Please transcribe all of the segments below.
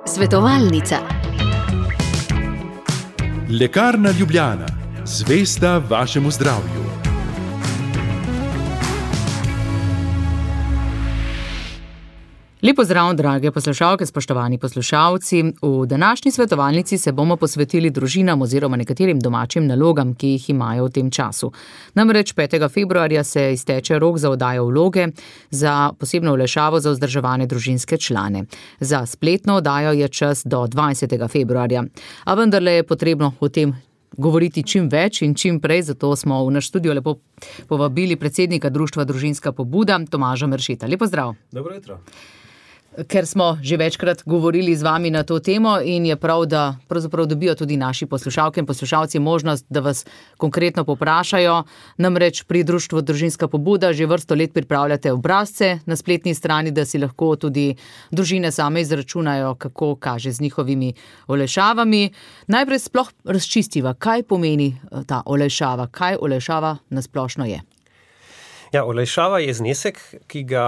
Svetovalnica. Lekarna Ljubljana, zvesta vašemu zdravju. Lep pozdrav, drage poslušalke, spoštovani poslušalci. V današnji svetovalnici se bomo posvetili družinam oziroma nekaterim domačim nalogam, ki jih imajo v tem času. Namreč 5. februarja se izteče rok za oddajo vloge za posebno olajšavo za vzdrževane družinske člane. Za spletno oddajo je čas do 20. februarja. A vendarle je potrebno o tem govoriti čim več in čim prej, zato smo v naš studio lepo povabili predsednika društva Družinska pobuda, Tomaža Meršeta. Lep pozdrav. Dobro jutro. Ker smo že večkrat govorili z vami na to temo in je prav, da pravzaprav dobijo tudi naši poslušalke in poslušalci možnost, da vas konkretno poprašajo. Namreč pri društvu Družinska pobuda že vrsto let pripravljate obrazce na spletni strani, da si lahko tudi družine same izračunajo, kako kaže z njihovimi olajšavami. Najprej sploh razčistiva, kaj pomeni ta olajšava, kaj olajšava nasplošno je. Ja, olajšava je znesek, ki ga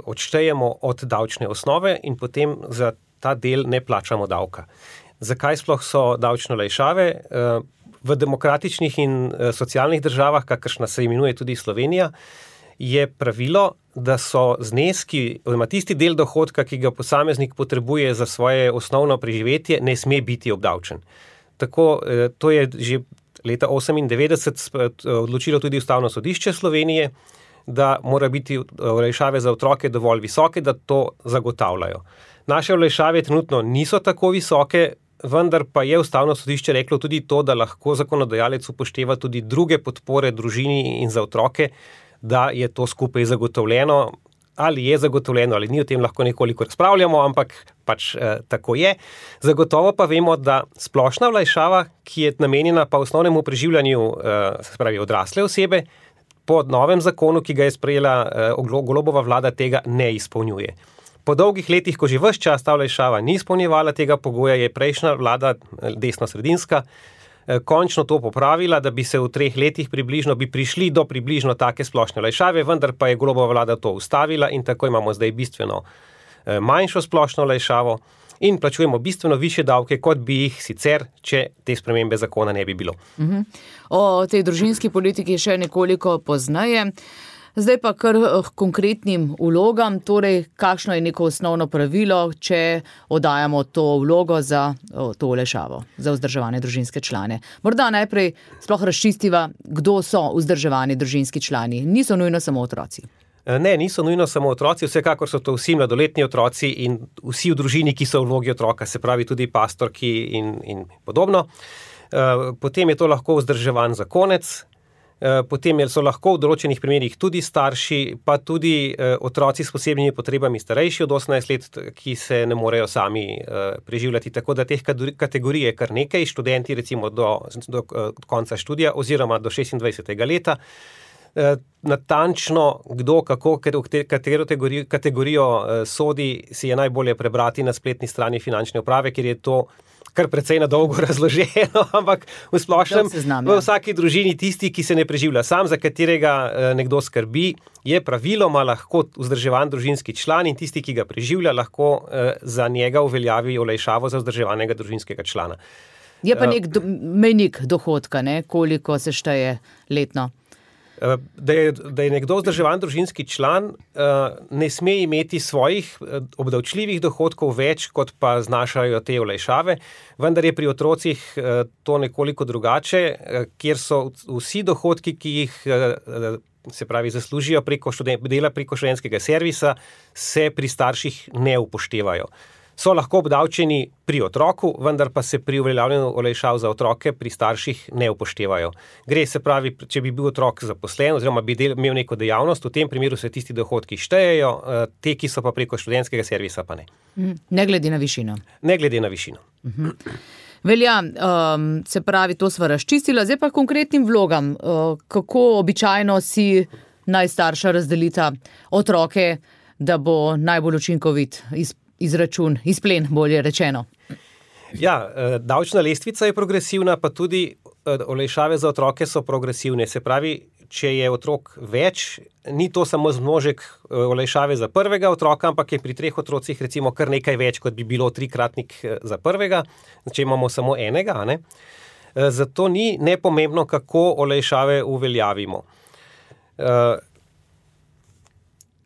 odštejemo od davčne osnove in potem za ta del ne plačamo davka. Zakaj sploh so davčne olajšave? V demokratičnih in socialnih državah, kakršna se imenuje tudi Slovenija, je pravilo, da so zneski, oziroma tisti del dohodka, ki ga posameznik potrebuje za svoje osnovno preživetje, ne sme biti obdavčen. Tako, to je že leta 1998 odločilo tudi Ustavno sodišče Slovenije, da mora biti olajšave za otroke dovolj visoke, da to zagotavljajo. Naše olajšave trenutno niso tako visoke, vendar pa je Ustavno sodišče reklo tudi to, da lahko zakonodajalec upošteva tudi druge podpore družini in za otroke, da je to skupaj zagotovljeno. Ali je zagotovljeno, ali ni, o tem lahko nekoliko razpravljamo, ampak pač tako je. Zagotovo pa vemo, da splošna olajšava, ki je namenjena pa osnovnemu preživljanju, se pravi odrasle osebe, po novem zakonu, ki ga je sprejela Golobova vlada, tega ne izpolnjuje. Po dolgih letih, ko že ves čas ta olajšava ni izpolnjevala tega pogoja, je prejšnja vlada, desnosredinska, končno to popravila, da bi se v 3 letih bi prišli do približno take splošne olajšave, vendar pa je Golobova vlada to ustavila in tako imamo zdaj bistveno manjšo splošno olajšavo in plačujemo bistveno višje davke, kot bi jih sicer, če te spremembe zakona ne bi bilo. O tej družinski politiki še nekoliko pozneje. Zdaj pa kar konkretnim vlogam, torej kakšno je neko osnovno pravilo, če oddajamo to vlogo za to olajšavo, za vzdrževane družinske člane. Morda najprej sploh razčistiva, kdo so vzdrževani družinski člani. Niso nujno samo otroci. Ne, niso nujno samo otroci, vsekakor so to vsi mladoletni otroci in vsi v družini, ki so v vlogi otroka, se pravi tudi pastorki in podobno. Potem je to lahko vzdrževan zakonec, potem so lahko v določenih primerih tudi starši, pa tudi otroci s posebnimi potrebami starejši od 18 let, ki se ne morejo sami preživljati. Tako da teh kategorij je kar nekaj, študenti recimo do konca študija oziroma do 26. leta. Natančno, kdo, kako, katero kategorijo sodi, si je najbolje prebrati na spletni strani finančne uprave, ker je to kar precej na dolgo razloženo, ampak v splošnem, v vsaki družini tisti, ki se ne preživlja sam, za katerega nekdo skrbi, je praviloma lahko vzdrževan družinski član in tisti, ki ga preživlja, lahko za njega uveljavi olajšavo za vzdrževanega družinskega člana. Je pa nek mejnik dohodka, ne? Koliko se šteje letno? Da je nekdo vzdrževan družinski član, ne sme imeti svojih obdavčljivih dohodkov več, kot pa znašajo te olajšave, vendar je pri otrocih to nekoliko drugače, kjer so vsi dohodki, ki jih se pravi zaslužijo dela preko študentskega servisa, se pri starših ne upoštevajo. So lahko obdavčeni pri otroku, vendar pa se pri uveljavljanju olajšav za otroke pri starših ne upoštevajo. Gre, se pravi, če bi bil otrok zaposlen oziroma bi imel neko dejavnost, v tem primeru se tisti dohodki štejejo, te, ki so pa preko študentskega servisa, pa ne. Ne glede na višino. Ne glede na višino. Velja, se pravi, to sva razčistila, zdaj pa konkretnim vlogam. Kako običajno si najstarša razdelita otroke, da bo najbolj učinkovit izračun, izplen, bolje rečeno? Ja, davčna lestvica je progresivna, pa tudi olajšave za otroke so progresivne. Se pravi, če je otrok več, ni to samo zmnožek olajšave za prvega otroka, ampak je pri 3 otrocih recimo kar nekaj več, kot bi bilo 3-kratnik za prvega, če imamo samo enega, ne? Zato ni nepomembno, kako olajšave uveljavimo.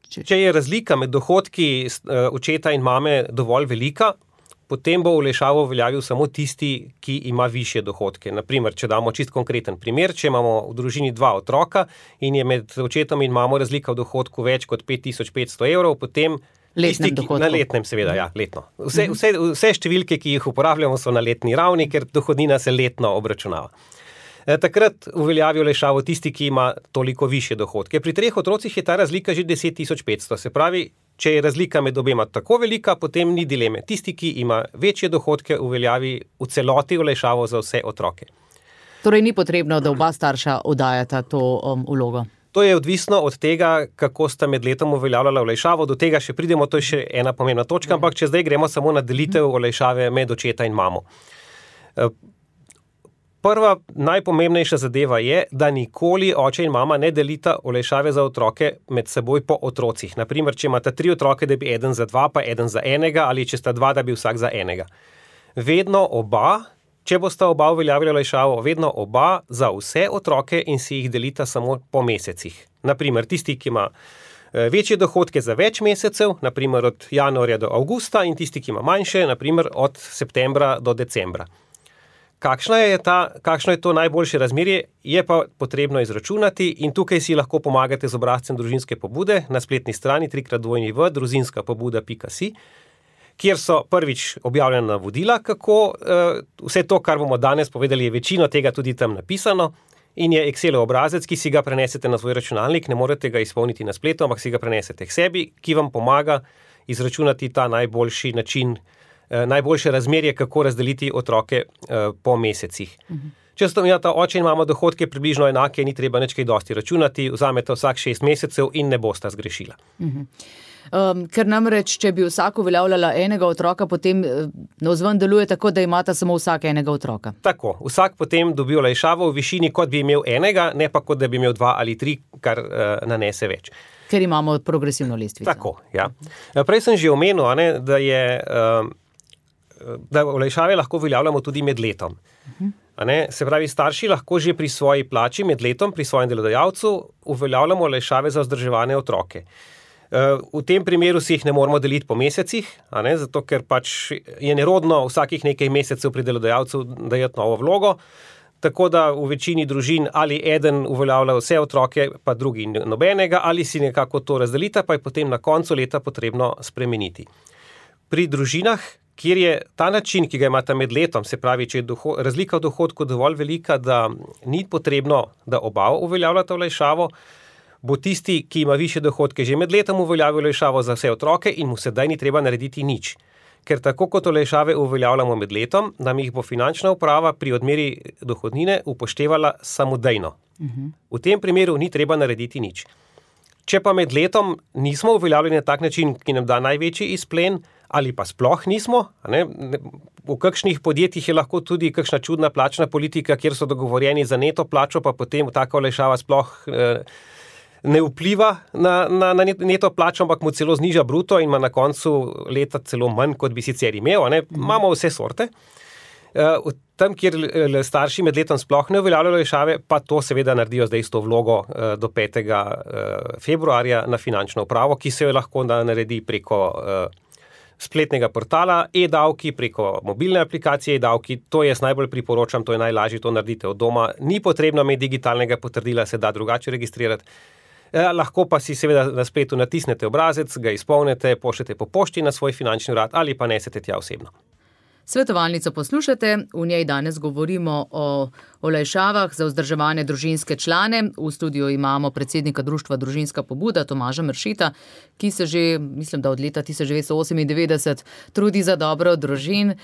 Če je razlika med dohodki očeta in mame dovolj velika, potem bo olajšavo uveljavil samo tisti, ki ima višje dohodke. Naprimer, če damo čist konkreten primer, če imamo v družini 2 otroka in je med očetom in mamo razlika v dohodku več kot 5500 evrov, potem na letnem seveda, ja, letno. Vse številke, ki jih uporabljamo, so na letni ravni, ker dohodnina se letno obračunava. Takrat uveljavi olajšavo tisti, ki ima toliko višje dohodke. Pri 3 otrocih je ta razlika že 10.500, se pravi, če je razlika med obema tako velika, potem ni dileme. Tisti, ki ima večje dohodke, uveljavi v celoti olajšavo za vse otroke. Torej ni potrebno, da oba starša oddajata to vlogo? To je odvisno od tega, kako sta med letom uveljavljala olajšavo. Do tega še pridemo, to je še ena pomembna točka, ampak če zdaj gremo samo na delitev olajšave med očeta in mamo. Prva najpomembnejša zadeva je, da nikoli oče in mama ne delita olajšave za otroke med seboj po otrocih. Naprimer, če imata 3 otroke, da bi eden za 2, pa eden za enega, ali če sta 2, da bi vsak za enega. Vedno oba, če bosta oba uveljavila olajšavo, vedno oba za vse otroke in si jih delita samo po mesecih. Naprimer, tisti, ki ima večje dohodke za več mesecev, naprimer od januarja do avgusta, in tisti, ki ima manjše, naprimer od septembra do decembra. Kakšno je to najboljše razmerje, je pa potrebno izračunati in tukaj si lahko pomagate z obrazcem družinske pobude na spletni strani www.družinskapobuda.si, kjer so prvič objavljena navodila, kako vse to, kar bomo danes povedali, je večino tega tudi tam napisano in je Excelov obrazec, ki si ga prenesete na svoj računalnik, ne morete ga izpolniti na spletu, ampak si ga prenesete k sebi, ki vam pomaga izračunati ta najboljši način, najboljše razmerje, kako razdeliti otroke po mesecih. Če sta imata oče in mama dohodke približno enake, ni treba nič kaj dosti računati, vzamete vsak 6 mesecev in ne bosta zgrešila. Ker namreč, če bi vsak uveljavljala enega otroka, potem navzven deluje tako, da imata samo vsak enega otroka. Tako, vsak potem dobi olajšavo v višini, kot bi imel enega, ne pa kot da bi imel 2 ali 3, kar nanese več. Ker imamo progresivno lestvico. Tako, ja. Prej sem že omenil, da olajšave lahko uveljavljamo tudi med letom. Se pravi, starši lahko že pri svoji plači med letom, pri svojem delodajalcu uveljavljamo olajšave za vzdrževane otroke. V tem primeru si jih ne moramo deliti po mesecih, zato ker pač je nerodno vsakih nekaj mesecev pri delodajalcu dajati novo vlogo, tako da v večini družin ali eden uveljavlja vse otroke, pa drugi nobenega, ali si nekako to razdelita, pa je potem na koncu leta potrebno spremeniti. Pri družinah, kjer je ta način, ki ga imata med letom, se pravi, če je razlika v dohodku dovolj velika, da ni potrebno, da oba uveljavljata olajšavo, bo tisti, ki ima višje dohodke, že med letom uveljavil olajšavo za vse otroke in mu sedaj ni treba narediti nič. Ker tako kot olajšave uveljavljamo med letom, nam jih bo finančna uprava pri odmeri dohodnine upoštevala samodejno. V tem primeru ni treba narediti nič. Če pa med letom nismo uveljavljeni na tak način, ki nam da največji izplen, ali pa sploh nismo, v kakšnih podjetjih je lahko tudi kakšna čudna plačna politika, kjer so dogovorjeni za neto plačo, pa potem taka olajšava sploh ne vpliva na neto plačo, ampak mu celo zniža bruto in ima na koncu leta celo manj, kot bi sicer imel. Imamo vse sorte. Tam, kjer starši med letom sploh ne uveljavljajo olajšave, pa to seveda naredijo zdaj s to vlogo do 5. februarja na finančno upravo, ki se jo lahko naredi preko spletnega portala e-davki, preko mobilne aplikacije e-davki. To jaz najbolj priporočam, to je najlažje, to naredite od doma. Ni potrebno imeti digitalnega potrdila, se da drugače registrirati. Lahko pa si seveda na spletu natisnete obrazec, ga izpolnite, pošljete po pošti na svoj finančni urad ali pa nesete tja osebno. Svetovalnico poslušate, v njej danes govorimo o olajšavah za vzdrževane družinske člane. V studiu imamo predsednika društva Družinska pobuda Tomaža Mršita, ki se že, mislim, da od leta 1998 trudi za dobro družin,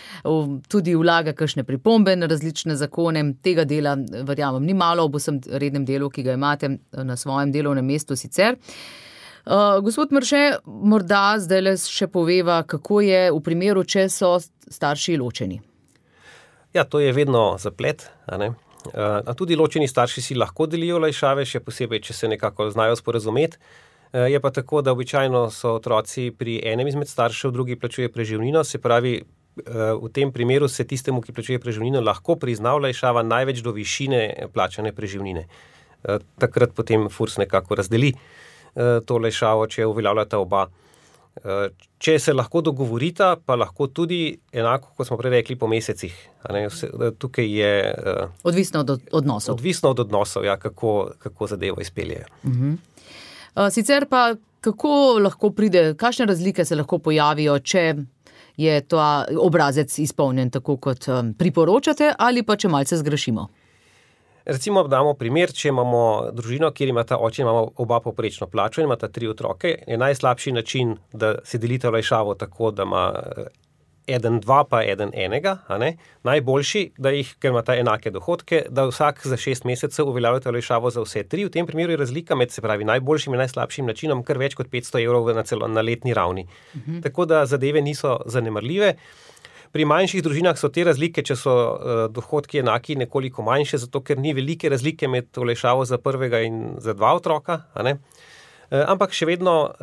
tudi vlaga kakšne pripombe na različne zakone. Tega dela, verjamem, ni malo ob vsem rednem delu, ki ga imate na svojem delovnem mestu sicer. Gospod Mrše, morda zdaj še poveva, kako je v primeru, če so starši ločeni. Ja, to je vedno zaplet. Tudi ločeni starši si lahko delijo olajšave, še posebej, če se nekako znajo sporazumeti. Je pa tako, da običajno so otroci pri enem izmed staršev, drugi plačuje preživnino, se pravi, v tem primeru se tistemu, ki plačuje preživnino, lahko prizna olajšava največ do višine plačane preživnine. Takrat potem FURS nekako razdeli to olajšavo, če uveljavljata oba. Če se lahko dogovorita, pa lahko tudi enako, kot smo prej rekli, po mesecih. Tukaj je odvisno od odnosov. Odvisno od odnosov, ja, kako zadevo izpeljejo. Sicer pa, kako lahko pride, kakšne razlike se lahko pojavijo, če je ta obrazec izpolnjen tako, kot priporočate, ali pa če malce zgrešimo? Recimo damo primer, če imamo družino, kjer imata oče in mama oba povprečno plačo in imata 3 otroke, je najslabši način, da se delite olajšavo tako, da ima eden 2 pa eden enega, najboljši, da jih, ker imata enake dohodke, da vsak za 6 mesecev uveljavljate olajšavo za vse 3. V tem primeru je razlika med, se pravi, najboljšim in najslabšim načinom kar več kot 500 evrov na letni ravni. Tako da zadeve niso zanemarljive. Pri manjših družinah so te razlike, če so dohodki enaki, nekoliko manjše, zato ker ni velike razlike med olajšavo za prvega in za 2 otroka, ampak še vedno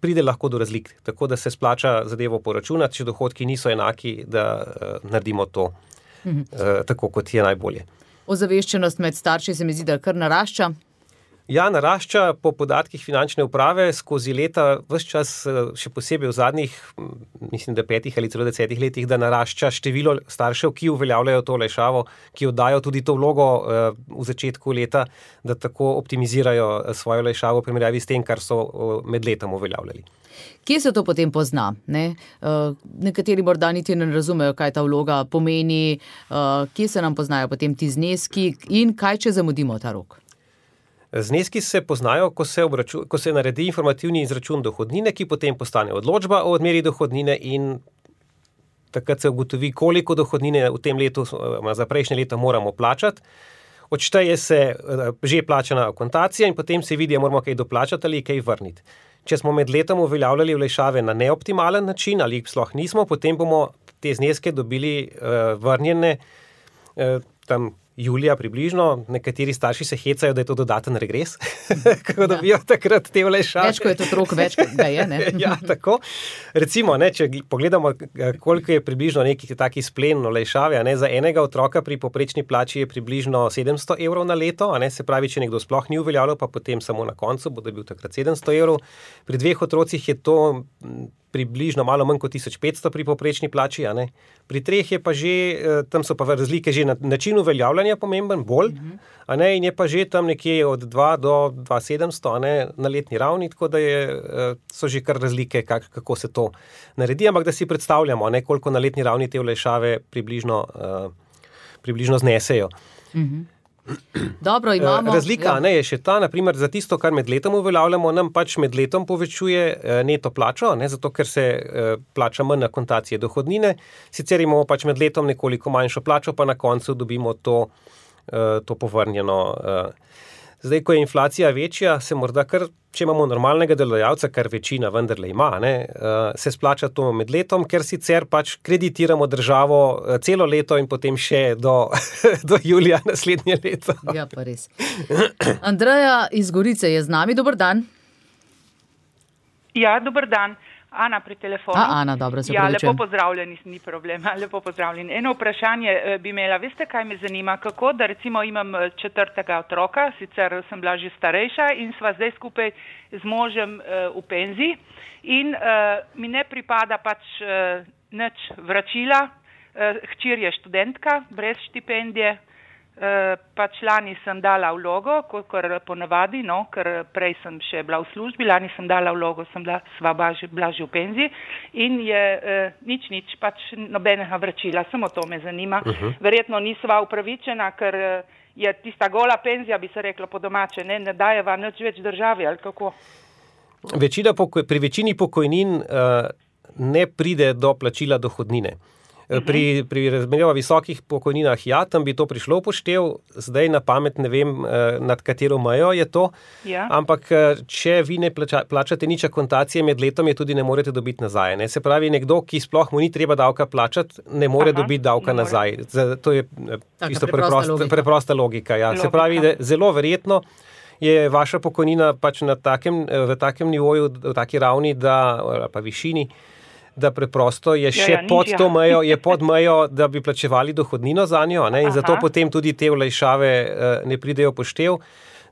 pride lahko do razlik, tako da se splača zadevo poračunati, če dohodki niso enaki, da naredimo to tako, kot je najbolje. Ozaveščenost med starši se mi zdi, da kar narašča. Ja, narašča po podatkih finančne uprave skozi leta, ves čas, še posebej v zadnjih, mislim, da 5 ali celo 10 letih, da narašča število staršev, ki uveljavljajo to olajšavo, ki oddajo tudi to vlogo v začetku leta, da tako optimizirajo svojo olajšavo v primerjavi s tem, kar so med letom uveljavljali. Kje se to potem pozna? Nekateri morda niti ne razumejo, kaj ta vloga pomeni, kje se nam poznajo potem ti zneski in kaj, če zamudimo ta rok? Zneski se poznajo, ko se naredi informativni izračun dohodnine, ki potem postane odločba o odmeri dohodnine in takrat se ugotovi, koliko dohodnine v tem letu, za prejšnje leto moramo plačati. Odšteje se že plačana akontacija in potem se vidi, moramo kaj doplačati ali kaj vrniti. Če smo med letom uveljavljali olajšave na neoptimalen način ali jih sploh nismo, potem bomo te zneske dobili vrnjene tam julija približno. Nekateri starši se hecajo, da je to dodaten regres, kako dobijo takrat te olajšave. Več, ko je to otrok, več, da je, ne? Ja, tako. Recimo, če pogledamo, koliko je približno neki taki splen olajšave, za enega otroka pri povprečni plači je približno 700 evrov na leto, se pravi, če nekdo sploh ni uveljavljal, pa potem samo na koncu bo dobil takrat 700 evrov. Pri 2 otrocih je to približno malo manj kot 1500 pri povprečni plači, Pri 3 je pa že, tam so pa razlike že na način uveljavljanja pomemben, bolj, in je pa že tam nekje od 2 do 2700, na letni ravni, tako da so že kar razlike, kako se to naredi, ampak da si predstavljamo, koliko na letni ravni te olajšave približno znesejo. Dobro, imamo. Razlika je še ta, naprimer za tisto, kar med letom uveljavljamo, nam pač med letom povečuje neto plačo, zato ker se plača manj akontacije dohodnine, sicer imamo pač med letom nekoliko manjšo plačo, pa na koncu dobimo to povrnjeno. Zdaj, ko je inflacija večja, se morda kar, če imamo normalnega delodajalca, kar večina vendarle ima, se splača to med letom, ker sicer pač kreditiramo državo celo leto in potem še do julija naslednje leto. Ja, pa res. Andreja iz Gorice je z nami, dober dan. Ja, dober dan. Ana pri telefonu. Ana, dobro, se pravičujem. Ja, lepo pozdravljeni, ni problema, lepo pozdravljeni. Eno vprašanje bi imela, veste, kaj me zanima, kako, da recimo imam 4. otroka, sicer sem bila že starejša in sva zdaj skupaj z možem v penziji in mi ne pripada pač nič vračila, hčer je študentka, brez štipendije, pač lani sem dala vlogo, kot ponavadi, ker prej sem še bila v službi, lani sem dala vlogo, sva bila že v penziji in je nič, pač nobenega vračila, samo to me zanima. Verjetno nisva upravičena, ker je tista gola penzija, bi se reklo po domače, ne dajeva nič več državi, ali kako? Pri večini pokojnin ne pride do plačila dohodnine. Pri razmerjava visokih pokojninah, ja, tam bi to prišlo upoštev, zdaj na pamet ne vem, nad katero mejo je to, ampak če vi ne plačate nič akontacije med letom, je tudi ne morete dobiti nazaj. Ne? Se pravi, nekdo, ki sploh mu ni treba davka plačati, ne more dobiti davka nazaj. To je isto preprosta logika. Ja. Se pravi, da zelo verjetno je vaša pokojnina pač v takem nivoju, v taki ravni, pa višini, da preprosto je še pod to mejo, je pod mejo, da bi plačevali dohodnino za njo, ne? In zato potem tudi te olajšave ne pridejo poštev.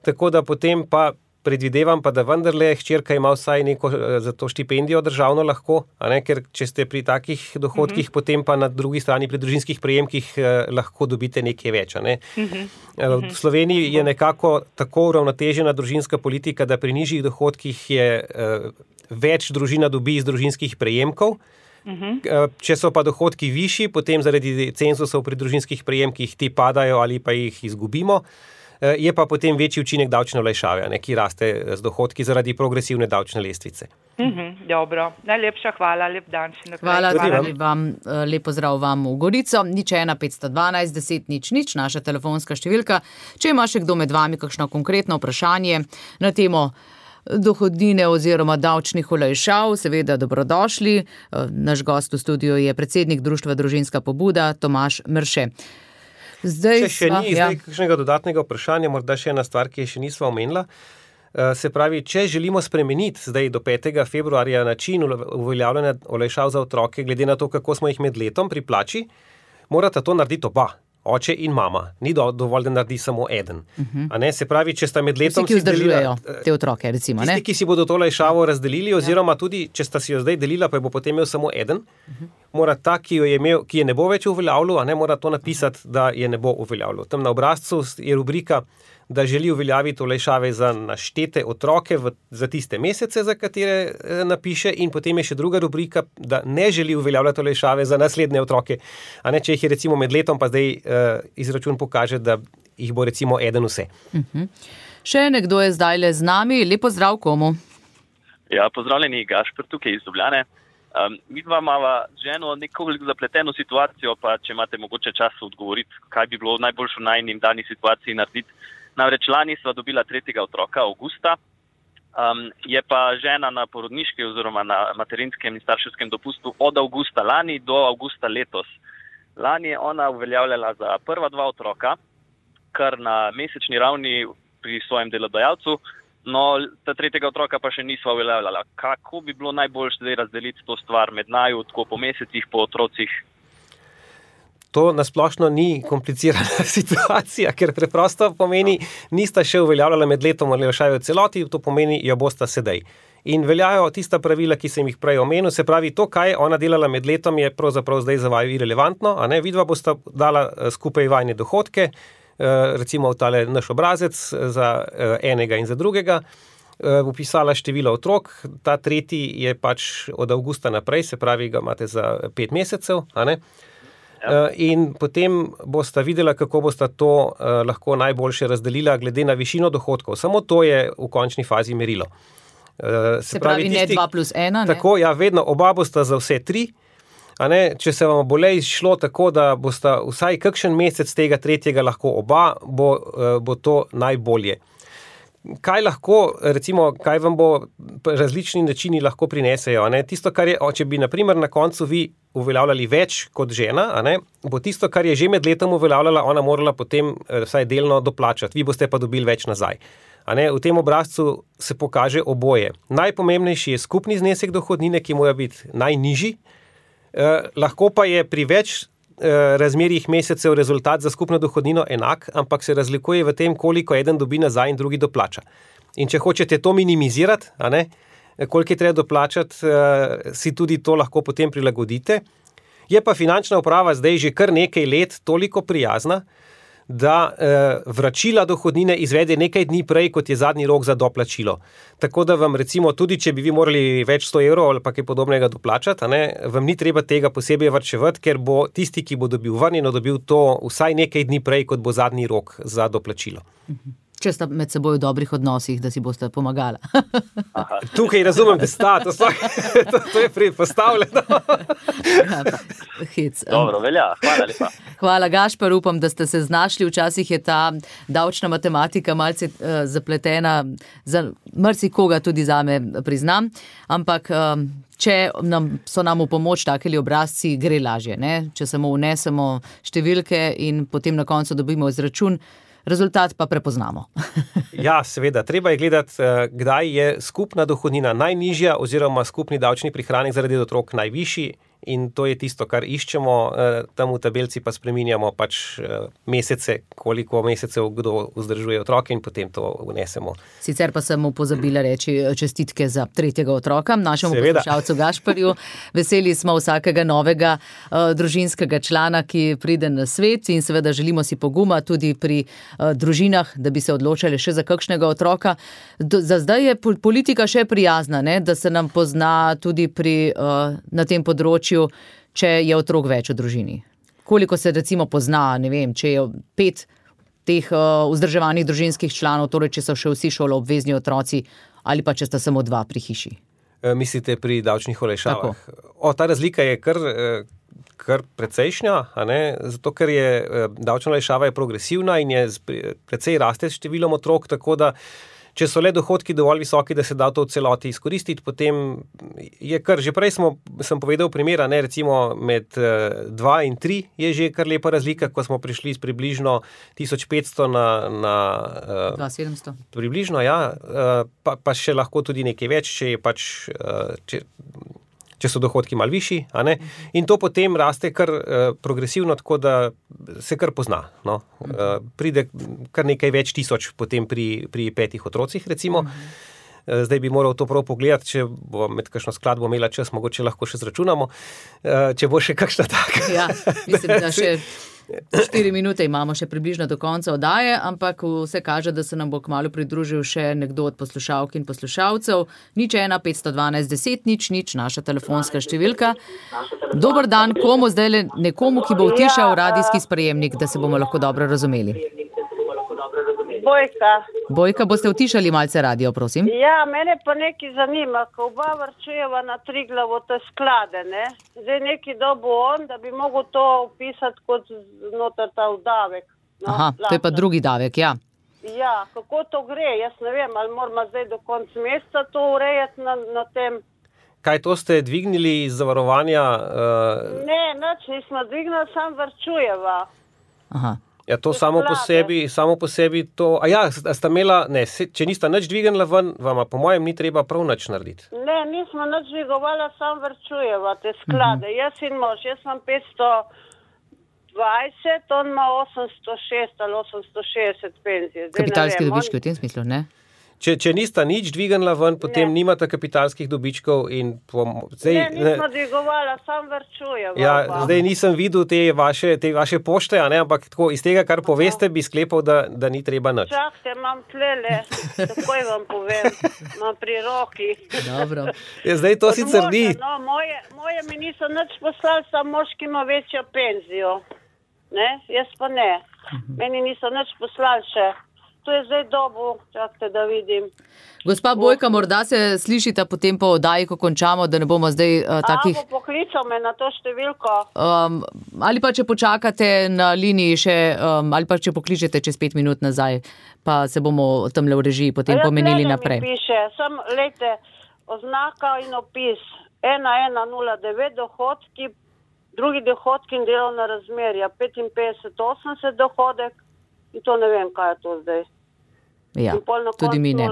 Tako da potem pa predvidevam pa, da vendarle hčerka ima vsaj neko za to štipendijo državno lahko, a ne? Ker če ste pri takih dohodkih, potem pa na drugi strani pri družinskih prejemkih lahko dobite nekaj več. A ne? V Sloveniji je nekako tako uravnotežena družinska politika, da pri nižjih dohodkih je več družina dobi iz družinskih prejemkov. Če so pa dohodki višji, potem zaradi cenzusov pri družinskih prejemkih ti padajo ali pa jih izgubimo. Je pa potem večji učinek davčne olajšave, ki raste z dohodki zaradi progresivne davčne lestvice. Dobro, najlepša hvala, lep dan še naprej. Hvala vam, lep pozdrav vam v Gorico, 01 512 10 00, naša telefonska številka. Če ima še kdo med vami kakšno konkretno vprašanje na temo dohodnine oziroma davčnih olajšav, seveda dobrodošli. Naš gost v studiu je predsednik Društva Družinska pobuda Tomaž Mrše. Če še ni kakšnega dodatnega vprašanja, morda še ena stvar, ki je še nisva omenila. Se pravi, če želimo spremeniti zdaj do 5. februarja način uveljavljanja olajšav za otroke, glede na to, kako smo jih med letom pri plači, morata to narediti oba. Oče in mama. Ni dovolj, da naredi samo eden. A ne? Se pravi, če sta med letom... Vsi, ki vzdržujejo te otroke, recimo, ne? Tisti, ki si bodo to olajšavo razdelili, oziroma tudi, če sta si jo zdaj delila, pa jo bo potem imel samo eden, mora ta, ki je ne bo več uveljavljal, a ne mora to napisati, da je ne bo uveljavljal. Tam na obrazcu je rubrika, da želi uveljaviti olajšave za naštete otroke za tiste mesece, za katere napiše, in potem je še druga rubrika, da ne želi uveljavljati olajšave za naslednje otroke. A ne, če jih je recimo med letom, pa zdaj izračun pokaže, da jih bo recimo eden vse. Še nekdo je zdajle z nami. Lep pozdrav komu? Ja, pozdravljeni, Gašper tukaj iz Ljubljane. Mi dva imava z ženo nekoliko zapleteno situacijo, pa če imate mogoče čas odgovoriti, kaj bi bilo najboljše v najnim dani situaciji narediti. Namreč lani sva dobila 3. otroka, avgusta, je pa žena na porodniški oziroma na materinskem in starševskem dopustu od avgusta lani do avgusta letos. Lani je ona uveljavljala za prva 2 otroka, kar na mesečni ravni pri svojem delodajalcu, no ta 3. otroka pa še nisva uveljavljala. Kako bi bilo najboljše zdaj razdeliti to stvar med naju, tako po mesecih, po otrocih? To nasplošno ni komplicirana situacija, ker preprosto pomeni, nista še uveljavljala med letom olajšave v celoti, to pomeni, jo bosta sedaj. In veljajo tista pravila, ki sem jih prej omenil, se pravi, to, kaj je ona delala med letom, je pravzaprav zdaj za vaju irelevantno, a ne, vidva bosta dala skupaj vajne dohodke, recimo v tale naš obrazec za enega in za drugega, upisala število otrok, ta tretji je pač od avgusta naprej, se pravi, ga imate za 5 mesecev, a ne. In potem bosta videla, kako bosta to lahko najboljše razdelila glede na višino dohodkov. Samo to je v končni fazi merilo. Se pravi, ne 2 plus 1, ne? Tako, ja, vedno oba bosta za vse 3. A ne, če se vam bo le izšlo tako, da bosta vsaj kakšen mesec tega tretjega lahko oba, bo to najbolje. Kaj lahko, recimo, kaj vam bo različni načini lahko prinesejo, ne? Tisto, kar je, če bi, na primer, na koncu vi uveljavljali več kot žena, a ne? Bo tisto, kar je že med letom uveljavljala, ona morala potem vsaj delno doplačati, vi boste pa dobili več nazaj. A ne? V tem obrazcu se pokaže oboje. Najpomembnejši je skupni znesek dohodnine, ki mora biti najnižji, lahko pa je pri več razmerjih mesecev rezultat za skupno dohodnino enak, ampak se razlikuje v tem, koliko eden dobi nazaj in drugi doplača. In če hočete to minimizirati, a ne, koliko je treba doplačati, si tudi to lahko potem prilagodite. Je pa finančna uprava zdaj že kar nekaj let toliko prijazna, da vračila dohodnine izvede nekaj dni prej, kot je zadnji rok za doplačilo. Tako da vam recimo, tudi če bi vi morali več 100 evrov ali pa kaj podobnega doplačati, a ne, vam ni treba tega posebej varčevati, ker bo tisti, ki bo dobil vrnjeno, dobil to vsaj nekaj dni prej, kot bo zadnji rok za doplačilo. Če sta med seboj v dobrih odnosih, da si boste pomagala. Tukaj razumem, da sta, to je predpostavljeno. Dobro, velja, hvala lepa. Hvala, Gašper, upam, da ste se znašli. Včasih je ta davčna matematika malce zapletena, za marsikoga tudi zame priznam, ampak če so nam v pomoč takeli obrazci, gre lažje, ne? Če samo vnesemo številke in potem na koncu dobimo izračun, rezultat pa prepoznamo. Ja, seveda. Treba je gledati, kdaj je skupna dohodnina najnižja oziroma skupni davčni prihranek zaradi otrok najvišji. In to je tisto, kar iščemo, tam v tabelci pa spreminjamo pač mesece, koliko mesecev kdo vzdržuje otroke in potem to vnesemo. Sicer pa sem mu pozabila reči čestitke za 3. otroka, našemu poslušalcu Gašperju. Veseli smo vsakega novega družinskega člana, ki pride na svet in seveda želimo si poguma tudi pri družinah, da bi se odločali še za kakšnega otroka. Za zdaj je politika še prijazna, ne? Da se nam pozna tudi na tem področju, če je otrok več v družini. Koliko se recimo pozna, ne vem, če je 5 teh vzdrževanih družinskih članov, torej če so še vsi šoloobvezni otroci ali pa če sta samo 2 pri hiši. Mislite pri davčnih olajšavah? Ta razlika je kar precejšnja, a ne? Zato, ker je davčna olajšava je progresivna in je precej raste s številom otrok, tako da če so le dohodki dovolj visoki, da se da to v celoti izkoristiti, potem je kar, že prej sem povedal primera, ne, recimo med 2 in 3 je že kar lepa razlika, ko smo prišli z približno 1500 na 2700. Približno, ja, pa še lahko tudi nekaj več, če je pač, če so dohodki malo višji, a ne? In to potem raste kar progresivno, tako da se kar pozna. No? Pride kar nekaj več tisoč potem pri 5 otrocih, recimo. Zdaj bi moral to prav pogledati, če bo med kakšno skladbo imela čas, mogoče lahko še zračunamo, če bo še kakšna taka. Ja, mislim, da še 4 minute imamo še približno do konca oddaje, ampak vse kaže, da se nam bo kmalu pridružil še nekdo od poslušalk in poslušalcev. 01 512 10 00, naša telefonska številka. Dober dan, komu zdaj nekomu, ki bo utišal radijski sprejemnik, da se bomo lahko dobro razumeli. Bojka, boste utišali malce radio, prosim? Ja, mene pa nekaj zanima, ko oba varčujeva na Triglavo te sklade, ne? Zdaj neki dobo on, da bi mogel to upisati kot noter ta davek. No, aha, to je pa drugi davek, ja. Ja, kako to gre? Jaz ne vem, ali moramo zdaj do konca meseca to urejati na tem. Kaj to ste dvignili iz zavarovanja? Ne, nič nismo dvignili, sam varčujeva. Aha. Ja, to samo po sebi to... A ja, sta imela... Ne, če nista nič dvignila ven, vama po mojem ni treba prav nič narediti. Ne, nismo nič dvigovala, sam varčujeva te sklade. Jaz in mož, jaz imam 520, on ima 806 ali 860 penzije. Kapitalski dobički v tem smislu, ne? Če nista nič dvignila ven, potem nimata kapitalskih dobičkov in... nismo dvigovala, sam varčujeva. Ja, zdaj nisem videl te vaše pošte, a ne, ampak tako iz tega, kar poveste, bi sklepal, da ni treba nič. Čakajte, imam tlele, takoj vam povem, imam pri roki. Dobro. Ja, zdaj to sicer ni. No, moje mi niso nič poslali, sam moški ima večjo penzijo. Ne, jaz pa ne. Meni niso nič poslali še. To je zdaj dobu, čakajte, da vidim. Gospa Bojka, morda se slišita potem po oddaji, ko končamo, da ne bomo zdaj takih... bo poklical me na to številko? Ali pa če počakate na liniji še, ali pa če pokličete čez 5 minut nazaj, pa se bomo tamle v režiji potem pomenili naprej. Mi piše, lejte, oznaka in opis 1109 dohodki, drugi dohodki in delovna razmerja, 55-80 dohodek. In to ne vem, kaj je to zdaj. Ja, tudi mi ne.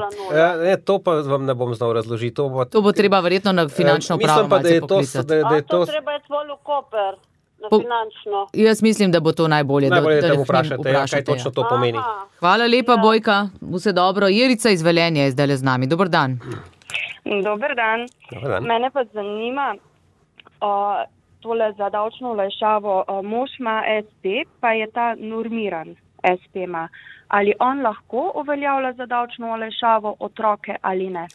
To pa vam ne bom znal razložiti. To bo treba verjetno na finančno upravo malce poklicati. To treba je tvoj Koper na finančno. Jaz mislim, da bo to najbolje. Najbolje, da vprašate, kaj točno to pomeni. Hvala lepa, Bojka. Vse dobro. Jerica iz Velenja je zdaj z nami. Dober dan. Dober dan. Mene pa zanima tole za davčno olajšavo. Mož ima SP, pa je ta normiran. SP ima. Ali on lahko uveljavlja za davčno olajšavo otroke ali ne?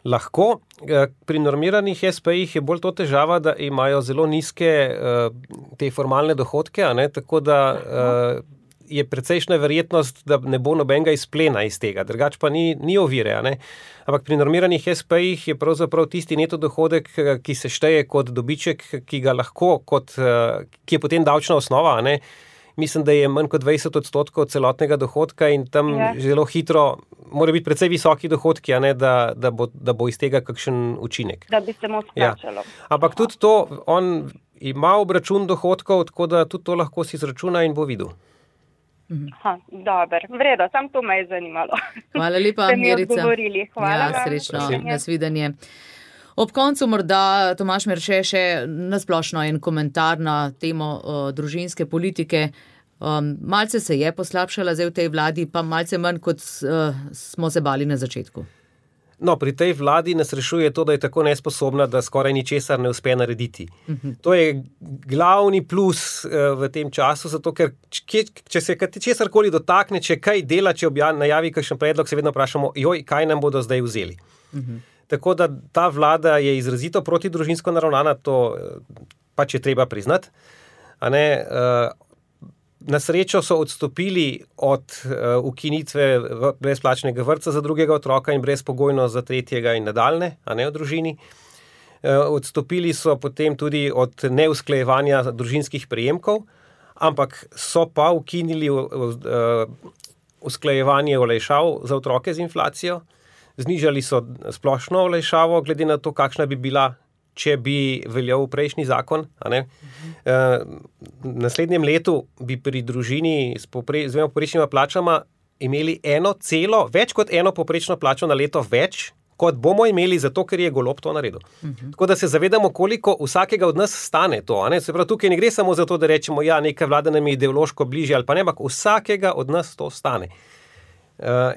Lahko. Pri normiranih SP-jih je bolj to težava, da imajo zelo nizke te formalne dohodke, a ne? Tako da je precejšna verjetnost, da ne bo nobenega izplena iz tega, drugače pa ni ovire, ne? Ampak pri normiranih SP-jih je pravzaprav tisti neto dohodek, ki se šteje kot dobiček, ki ga lahko, ki je potem davčna osnova, ne? Mislim, da je manj kot 20% celotnega dohodka in tam zelo hitro mora biti precej visoki dohodki, a ne, da bo iz tega kakšen učinek. Da bi se mu splačalo. Ampak tudi to, on ima obračun dohodkov, tako da tudi to lahko si izračuna in bo videl. Dober, vredo, sam to me je zanimalo. Hvala lepa, Mirica. Hvala vam. Srečno, nasvidenje. Ob koncu morda, Tomaž Merše, še nasplošno en komentar na temo družinske politike. Malce se je poslabšala zdaj v tej vladi, pa malce manj, kot smo se bali na začetku. No, pri tej vladi nas rešuje to, da je tako nesposobna, da skoraj ničesar ne uspe narediti. To je glavni plus v tem času, zato ker če se česarkoli dotakne, če kaj dela, če najavi kakšen predlog, se vedno vprašamo, kaj nam bodo zdaj vzeli. Tako da ta vlada je izrazito protidružinsko naravnana, to pač je treba priznati. Na srečo so odstopili od ukinitve brezplačnega vrtca za drugega otroka in brezpogojno za tretjega in nadaljne, a ne v družini. Odstopili so potem tudi od neusklajevanja družinskih prejemkov, ampak so pa ukinili usklajevanje olajšav za otroke z inflacijo. Znižali so splošno olajšavo, glede na to, kakšna bi bila, če bi veljal prejšnji zakon. V naslednjem letu bi pri družini s dvema poprečnima plačama imeli več kot eno poprečno plačo na leto več, kot bomo imeli zato, ker je Golob to naredil. Tako da se zavedamo, koliko vsakega od nas stane to. Se pravi, tukaj ne gre samo za to, da rečemo, neka vlada nam je ideološko bližje ali pa ne, ampak vsakega od nas to stane.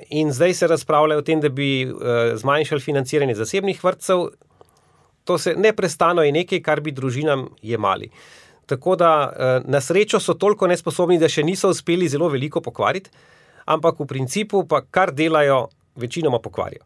In zdaj se razpravlja o tem, da bi zmanjšali financiranje zasebnih vrtcev. To se neprestano je nekaj, kar bi družinam jemali. Tako da na srečo so toliko nesposobni, da še niso uspeli zelo veliko pokvariti, ampak v principu pa kar delajo, večinoma pokvarijo.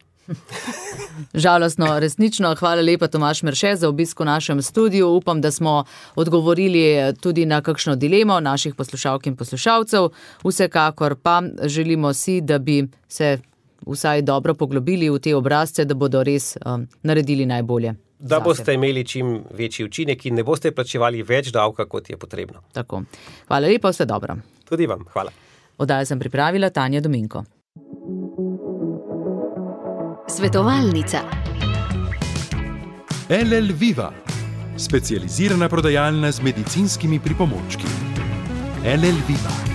Žalostno, resnično. Hvala lepa, Tomaž Merše, za obisk v našem studiu. Upam, da smo odgovorili tudi na kakšno dilemo naših poslušalk in poslušalcev. Vsekakor pa želimo si, da bi se vsaj dobro poglobili v te obrazce, da bodo res naredili najbolje. Da boste imeli čim večji učinek in ne boste plačevali več davka, kot je potrebno. Tako. Hvala lepa, vse dobro. Tudi vam, hvala. Oddajo sem pripravila Tanja Dominko. Svetovalnica. LL Viva, specializirana prodajalna z medicinskimi pripomočki. LL Viva.